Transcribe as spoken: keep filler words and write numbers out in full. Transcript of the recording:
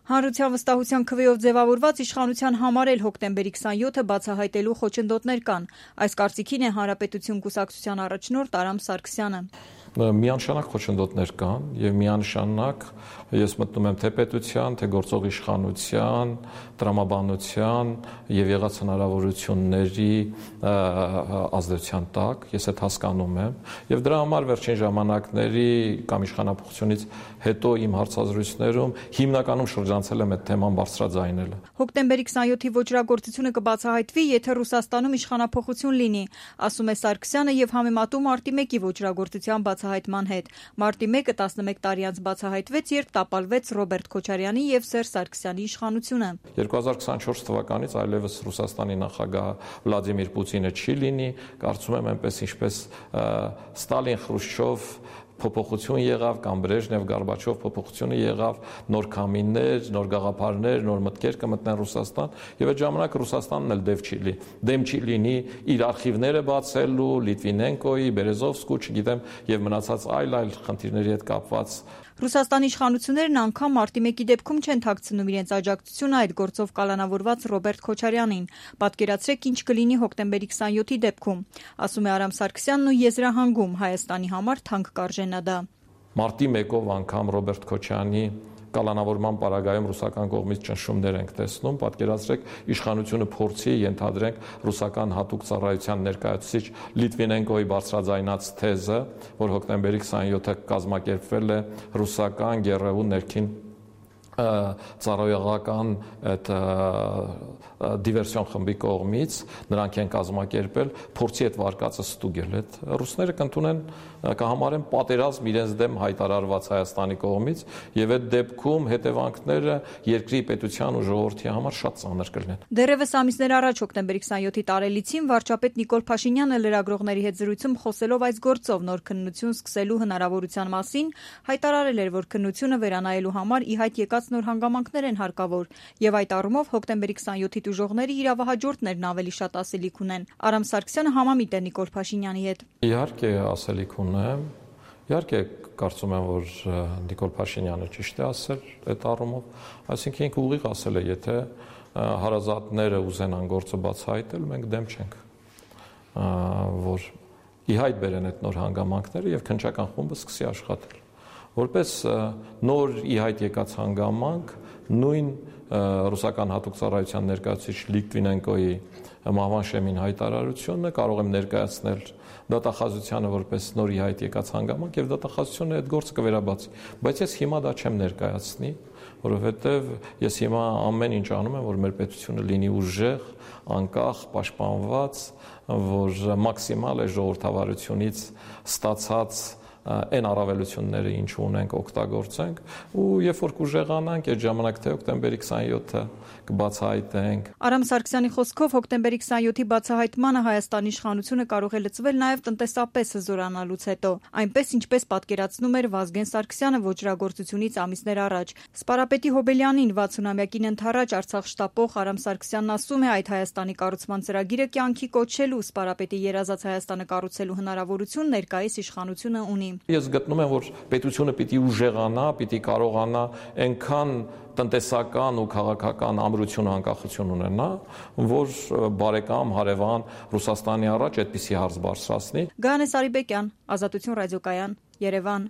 Հանրության վստահության քվեով ձևավորված իշխանության համար էլ հոկտեմբերի քսանյոթը բացահայտելու խոչընդոտներ կան։ Այս կարծիքին է Հանրապետություն կուսակցության առաջնորդ Արամ Սարգսյանը։ Միանշանակ խոչընդոտներ կան եւ միանշանակ ես մտնում եմ թե պետության, թե գործող իշխանության, տրամաբանության եւ եղած հնարավորությունների ազդեցության տակ, ես այդ հասկանում եմ եւ դրա համար վերջին ժամանակների կամ իշխանապողությունից հետո իմ հարցազրույցներում հիմնականում շրջանցել եմ այդ թեման բարձրաձայնելը։ Հոկտեմբերի քսանյոթի ոճրագործությունը կբացահայտվի, եթե Ռուսաստանում իշխանափոխություն լինի, ասում է Սարգսյանը եւ համեմատում մարտի մեկի ոճրագործության բացահայտման հետ։ Մարտի մեկը տասնմեկ տարի անց բացահայտվեց, երբ տապալվեց Ռոբերտ Քոչարյանի եւ Սերժ Սարգսյանի իշխանությունը։ երկու հազար քսանչորս թվականից այլևս Ռուսաստանի նախագահ Վլադիմիր Պուտինը չի լինի, կարծում եմ այնպես ինչպես Ստալին, Խրուշչով փոփոխություն եղավ կամ Բրեժնև, Գորբաչով փոփոխությունը եղավ, նոր քամիներ, նոր գաղափարներ, նոր մտքեր կմտնեն Ռուսաստան եւ այդ ժամանակ Ռուսաստանն էլ դեմ չի լինի, դեմ չի լինի իր արխիվները բացելու, Լիտվինենկոյի, Բերեզովսկու, չգիտեմ, եւ մնացած այլ այլ խնդիրների հետ կապված։ Ռուսաստանի իշխանություններն անգամ մարտի մեկի դեպքում չեն թաքցնում իրենց աջակցությունը այդ գործով կալանավորված Ռոբերտ Քոչարյանին։ Պատկերացրեք ինչ կլինի հոկտեմբերի քսանյոթի դեպքում, ասում է Արամ Սարգսյանն ու եզրահանգում Հայաստանի համար թանկ կարժենա դա։ Մարտի մեկով անգամ Ռոբերտ Քոչարյանի կալանավորման պարագայում ռուսական կողմից ճնշումներ ենք տեսնում, պատկերացրեք իշխանությունը փորձի ենթադրենք ռուսական հատուկ ծառայության ներկայացուցիչ Լիտվինենկոյի բարձրաձայնած թեզը, որ հոկտեմբերի քսանյոթը կազմակերպվել է ռուսական գերեու ներքին ծառայողական այդ դիվերսիոն խմբի կողմից նրանք են կազմակերպել, փորձի այդ վարկածը ստուգել։ Այդ ռուսները կընդունեն կհամարեն պատերազմ իրենց դեմ հայտարարված Հայաստանի կողմից եւ այդ դեպքում հետևանքները երկրի պետության ու ժողովրդի համար շատ ծանր կլինեն։ Դեռևս ամիսներ առաջ հոկտեմբերի քսանյոթի տարելիցին վարչապետ Նիկոլ Փաշինյանը լրագրողների հետ զրույցում խոսելով այս գործով նոր քննություն սկսելու հնարավորության մասին հայտարարել էր, որ քննությունը վերանայելու համար ի հայտ եկած նոր հանգամանքներ են հարկավոր եւ այդ առումով հոկտեմբերի քսանյոթի տուժողները իրավահաջորդներն ավելի շատ ասելիք ունեն։ Արամ Սարգսյանը համամիտ է Նիկոլ Փաշինյանի հետ։ Իհարկե ասելիք ունեմ, իհարկե կարծում եմ, որ Նիկոլ Փաշինյանը ճիշտ է ասել այդ առումով, այսինքն ինքը ուղիղ ասել է, եթե հարազատները ուզենան գործը բացահայտել, մենք դեմ չենք, որ ի հայտ բերեն այդ նոր հանգամանքները եւ քննչական խումբը սկսի աշխատել։ Որպես նոր ի հայտ եկած հանգամանք նույն ռուսական հատուկ ծառայության ներկայացուցիչ Լիտվինենկոյի մահվան շեմին հայտարարությունը կարող եմ ներկայացնել դատախազությանը որպես նոր ի հայտ եկած հանգամանք եւ դատախազությունը այդ գործը կվերաբացի, բայց ես հիմա դա չեմ ներկայացնի, որովհետեւ ես հիմա ամեն ինչ անում եմ, որ մեր պետությունը լինի ուժեղ, անկախ, պաշտպանված, որ մաքսիմալ է ժողովրդավարությունից ստացած այն առավելությունները ինչ ունենք օգտագործենք ու երբ որ կուժեղանանք այդ ժամանակ թե հոկտեմբերի քսանյոթը կբացահայտենք։ Արամ Սարգսյանի խոսքով հոկտեմբերի քսանյոթի բացահայտմանը Հայաստանի իշխանությունը կարող է լծվել նաև տնտեսապես հզորանալուց հետո, այնպես ինչպես պատկերացնում էր Վազգեն Սարգսյանը ոճրագործությունից ամիսներ առաջ։ Սպարապետի Հոբելյանին վաթսունամյակին ընդառաջ Արցախ շտապող Արամ Սարգսյանն ասում է այդ Հայաստանի կառուցման ծրագիրը կյանքի կոչելու Սպարապետի երազած Հայաստանը կառուցելու հնարավորություն ներկայիս իշխանությունը ունի։ Ես գտնում եմ, որ պետությունը պիտի ուժեղանա, պիտի կարողանա այնքան տնտեսական ու քաղաքական ամրություն ու անկախություն ունենա, որ բարեկամ հարևան Ռուսաստանի առաջ այդպիսի հարց բարձրացնի։ Գայանե Սարիբեկյան, Ազատություն ռադիոկայան, Երևան։